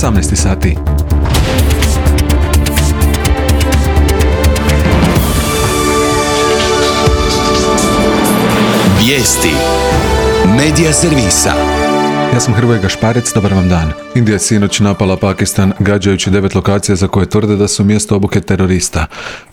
18 sati. Vijesti Medija servisa. Ja sam Hrvoje Gašparec, dobar vam dan. Indija je sinoć napala Pakistan gađajući 9 lokacija za koje tvrde da su mjesto obuke terorista.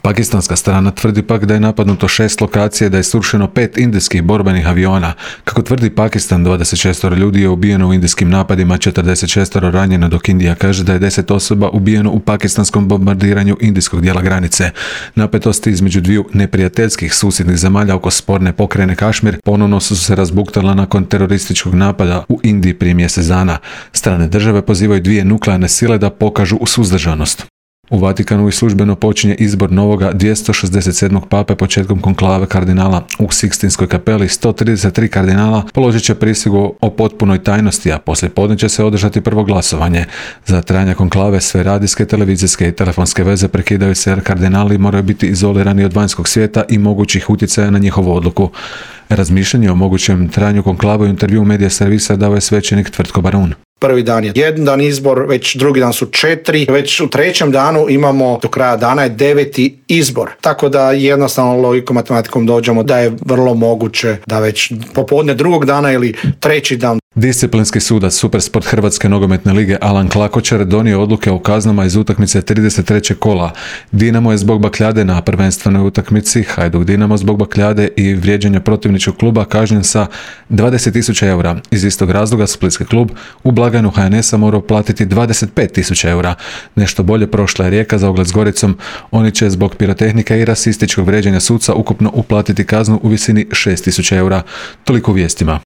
Pakistanska strana tvrdi pak da je napadnuto 6 lokacija i da je srušeno 5 indijskih borbenih aviona. Kako tvrdi Pakistan, 26 ljudi je ubijeno u indijskim napadima, 46 ranjeno, dok Indija kaže da je 10 osoba ubijeno u pakistanskom bombardiranju indijskog dijela granice. Napetosti između dviju neprijateljskih susjednih zemalja oko sporne pokrajine Kašmir ponovno su se razbuktala nakon terorističkog napada u Indiji prije mjesec dana. Strane države pozivaju dvije nuklearne sile da pokažu suzdržanost. U Vatikanu i službeno počinje izbor novoga 267. pape početkom konklave kardinala u Sikstinskoj kapeli. 133 kardinala položit će prisegu o potpunoj tajnosti, a poslije podne će se održati prvo glasovanje. Za trajanje konklave sve radijske, televizijske i telefonske veze prekidaju se jer kardinali moraju biti izolirani od vanjskog svijeta i mogućih utjecaja na njihovu odluku. Razmišljanje o mogućem trajanju konklave u intervju Medija servisa dao je svećenik Tvrtko Barun. Prvi dan je jedan dan izbor, već drugi dan su 4, već u trećem danu imamo do kraja dana je 9. izbor. Tako da jednostavno logikom, matematikom dođemo da je vrlo moguće da već popodne drugog dana ili treći dan. Disciplinski sudac Supersport Hrvatske nogometne lige Alan Klakočar donio odluke o kaznama iz utakmice 33. kola. Dinamo je zbog bakljade na prvenstvenoj utakmici, Hajduk Dinamo zbog bakljade i vrijeđanja protivničkog kluba kažnjen sa 20.000 eura. Iz istog razloga splitski klub u blagajnu HNS-a morao platiti 25.000 eura. Nešto bolje prošla je Rijeka za ogled s Goricom. Oni će zbog pirotehnike i rasističkog vrijeđanja suca ukupno uplatiti kaznu u visini 6.000 eura. Toliko u vijestima.